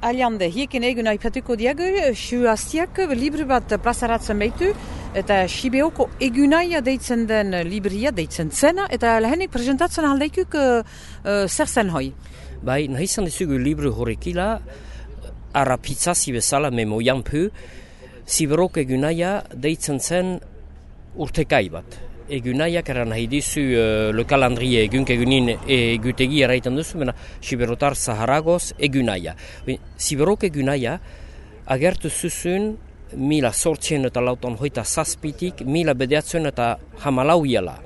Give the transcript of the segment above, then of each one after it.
Aliande, hiekin egun aipatuko diago, Suaziak libru bat plazaratzen behitu, eta Sibeoko egunaia deitzen den libria deitzen zena, eta lehenik presentatzen aldeikuk zer zen hoi? Bai, nahi izan dizugu libru horrekila, arapitzazi bezala memoian pu, Siberoko egunaia deitzen zen urtekai bat. Egunaiak eran nahi dizu le calendrier egunin egutegi erraiten duzu, bena Siberotar Zaharagoz egunaia. Siberoko egunaia agertu zuzun 1867 mila bedeatzen eta hamalau iala.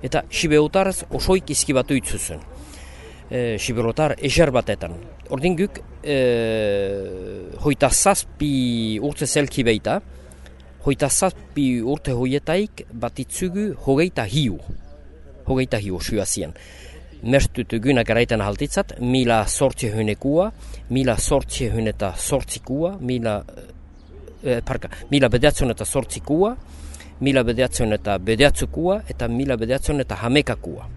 Eta Siberotarz osoik izkibatu itzuzun. Siberotar ezer batetan. Ordin guk hoita zazpi urte zelki beita, hoita zazpi urte hoietaik batitzugu hogeita hiu Suazien. Mertut egunak eraiten haltitzat, mila sortzehunekua, mila sortzehuneta sortzikua, mila bedeatzen eta sortzikua, mila bedeatzen eta bedeatzukua, eta mila bedeatzen eta hamekakua.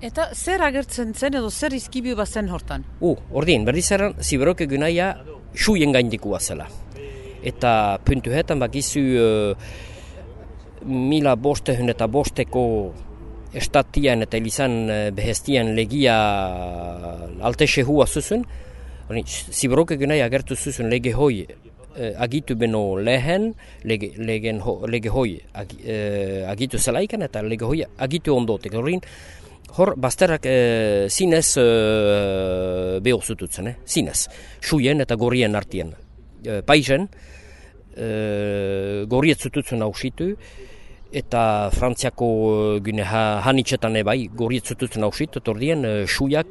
Eta zer agertzen zen edo zer izkibiu bazen hortan? Ordin, berriz eran, Siberoko egunaia suien gaindikua zela. Eta puntuhetan bakizu mila bostehun eta bosteko estatian eta elizan behestian legia altese hua zuzun. Siberoko egunaia agertu zuzun lege hoi agitu beno lehen, lege hoi agitu zelaikan eta lege hoi agitu ondotek. Hor, bazterrak zinez beho zututzen, zinez. Suien eta gorrien artien. Paisen, gorriet zututzen hausitu, eta Frantziako hanitxetan ebai gorriet zututzen hausitu, tordien suiak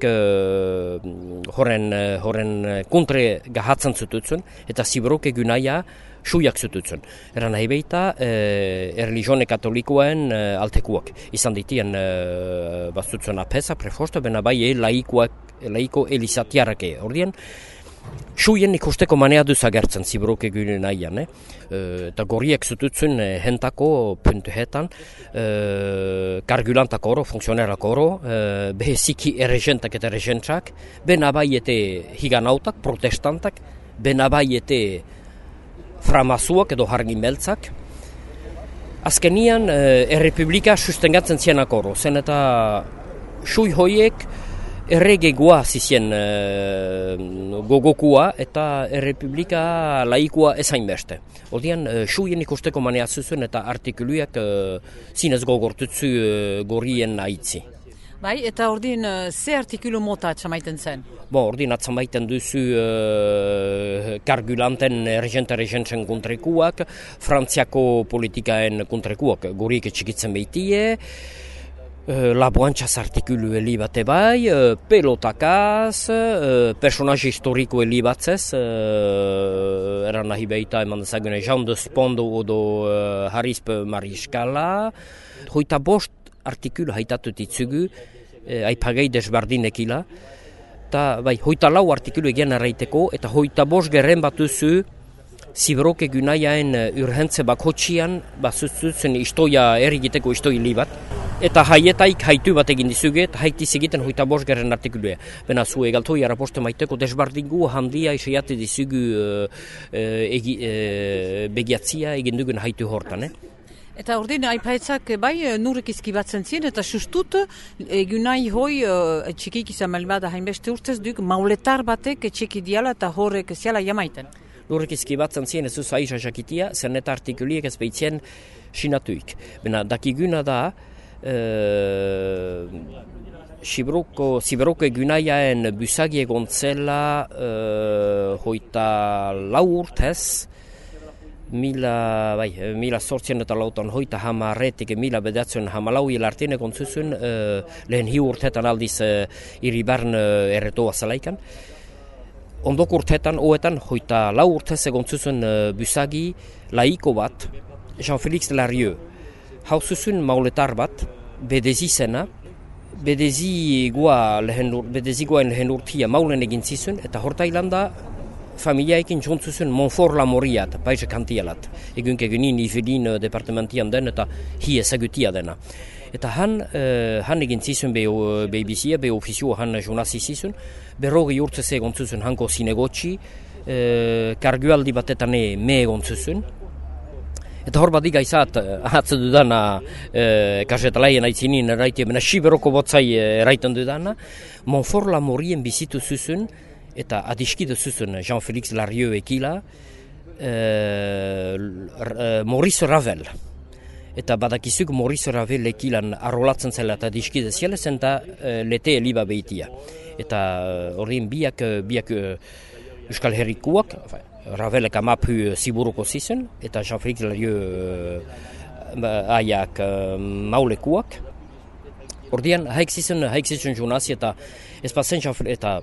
horren kontre gahatzen zututzen, eta Siberoko egunaia suiak zututzen. Eran nahi behita, erligione katolikoen altekuak. Izan ditien bazutzen apesa, prefosta, bena bai laiko elizatiarake. Ordien, suien ikusteko manea duz agertzen Siberoko egunaian, eta gorriek zututzen hentako puntuhetan, kargulantak oro, funksionerak oro, beheziki erregentak eta erregentzak, benabaiete higanautak, protestantak, benabaiete framazuak edo hargimeltzak. Azkenian, errepublika sustengatzen zienak oro, zen eta sui hoiek erregegoa zizien gogokua eta errepublika laikua ezain beste. Odian, suien ikusteko manea zuzuen eta artikuluak zinez gogortutzu gorrien aitzi. Bai, eta ordin ze artikulu mota atxamaiten zen? Ordin atzamaiten duzu kargulanten erregentzen kontrekuak, Frantziako politikaen kontrekuak gorriek etxikitzen behitie, laboantxaz artikulu heli bate bai, pelotakaz, personaje historiko heli batzez, eran nahi behita eman dezagune Jean de Spondo odo Harisp Mariskala, hoita bost artikulu haitatut itzugu, aipagei desbardinekila, eta bai, hoita lau artikulu egian arraiteko, eta hoita bost gerren batuzu Siberoko egunaiaen urhentze bakotxian bazutzen istoia erigiteko istoi bat, eta haietaik haitu bat egin dizuge, eta haitiz egiten hoita bost gerren artikulua. Bena zu egaltoi araposte maiteko desbardingu handia isaiate dizugu begiatzia egin dugun haitu hortan, Eta ordin, aipaetzak bai nurek izkibatzen zien, eta sustut egunai hoi txikik izan malbada hainbeste urtez duk mauletar batek txiki diala eta horrek ziala jamaiten. Nurek izkibatzen zien ez duz aiza jakitia, zen eta artikuliek ez behitzen sinatuik. Bena, dakiguna da, Siberoko egunaiaen busagi egon zela hoita lau urtez, mila sortzien eta lautan hoita hamarretik mila bedatzen hamalau hilartien egon zuzun, lehen hiu urtetan aldiz iribarn erretoa zelaikan. Ondok urtetan, oetan, hoita lau urtez egon zuzun busagi laiko bat, Jean-Félix Larieux. Hau zuzun mauletar bat, bedezi zena, bedezikoen lehen urtia maulen egin zizun, eta hortailanda familiaekin jontzuzun Montfort la Moriat, paise kantialat. Egunin Ivelin departamentian den eta hi ezagutia dena. Eta han egin zizun behibizia, ofizioa han jonazi zizun, berrogi urtze egon zuzun hanko zinegotxi, kargualdi batetan me egon zuzun. Eta hor bat igaizat, ahatze dudana, kasetalaien aitzinin eraitia, bena siberoko botzai eraitan dudana, Montfort Lamorien bizitu zuzun, eta adiskidu zuzun Jean-Félix Larieux ekila, Maurice Ravel. Eta badakizuk Maurice Ravel ekilan arrolatzen zela eta adiskide ziela zen eta lete eliba behitia. Eta horien biak Euskal Herrikuak, Ravelek amapu ziburuko zizen, eta Jean-Félix Larieux aiak maulekuak. Ordean, haik zizen jonazi eta ez bazen eta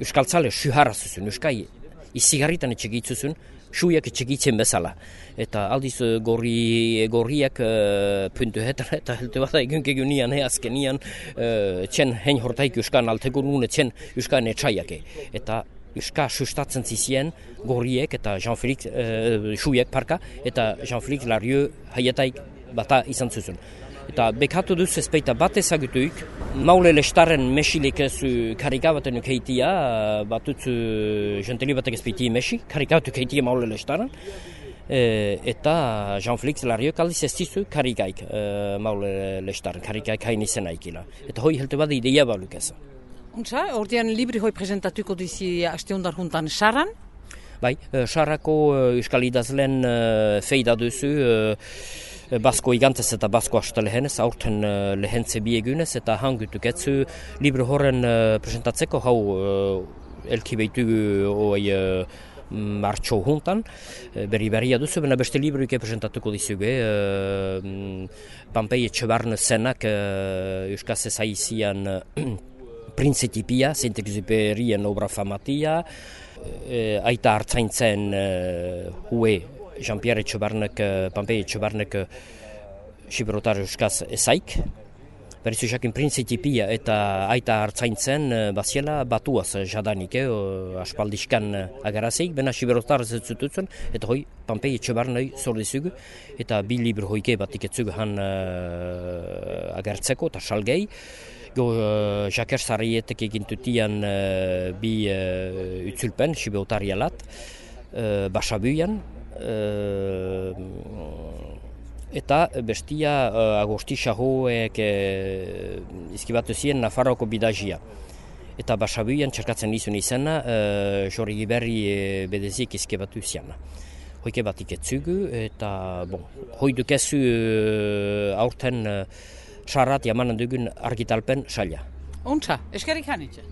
Euskal Tzale suharra zuzun, Euskai izigarritan etxegitzuzun, suiak etxegitzen bezala. Eta aldiz gorriak puntu hetan eta helte bat egun nian azkenian txen hein hortaik Euskan alteko nune txen Euskan etxaiake. Eta Euska sustatzen zizien gorriek eta Jean-Félix suiak parka eta Jean-Félix Larieux haietaik bata izan zuzun. Eta bekatu duz ezpeita bat ezagutuik, maule lestaren mesilik ez karikabaten heitia, batutzu jenteli batek ezpeiti mesi, karikatu heitia maule lestaren, eta Jean-Félix Larieux aldiz ez dizu karikaik maule lestaren, karikaik hain izena ikila. Eta hoi helte bat ideia baluk ez. Untza, ordean libri hoi presentatuko dizi aste hondar juntan Saran? Bai, Sarako euskal idazlen feida duzu, Basko igantez eta Basko hasta lehenez, aurten lehentze biegunez, eta hangutuk etzu libro horren presentatzeko hau elki behitu martxo juntan, berria duzu, bena beste libruike presentatuko dizuge, Pampei Etxebarne zenak euskaz ezaizian Printzitipia, Saint-Exupérien obra famatia, aita hartzaintzen hue Jean-Pierre Etxebarnek, Pampei Etxebarnek Xiberotar euskaz ezaik. Berrizu jakin Printzitipia eta aita hartzaintzen baziela batuaz jadanik, aspaldiskan agarazeik, bena Xiberotar zetzututzen, eta hoi Pampei Etxebarnei zordizugu, eta bi libro hoike batik etzugu han agertzeko eta salgei. Jaker Sarrietek egintutian bi utzulpen, Xibeotarialat, Basabuian, eta bestia Agosti Xahoek izkibatu ziren Nafarroko bidazia. Eta Basabuian txerkatzen izun izena, Jorri Giberri bedeziek izkibatu ziana. Hoike batik etzugu, eta hoi dukezu aurten Sarrat jamanen dugun argitalpen saila. Untza, eskerrik hanitxe.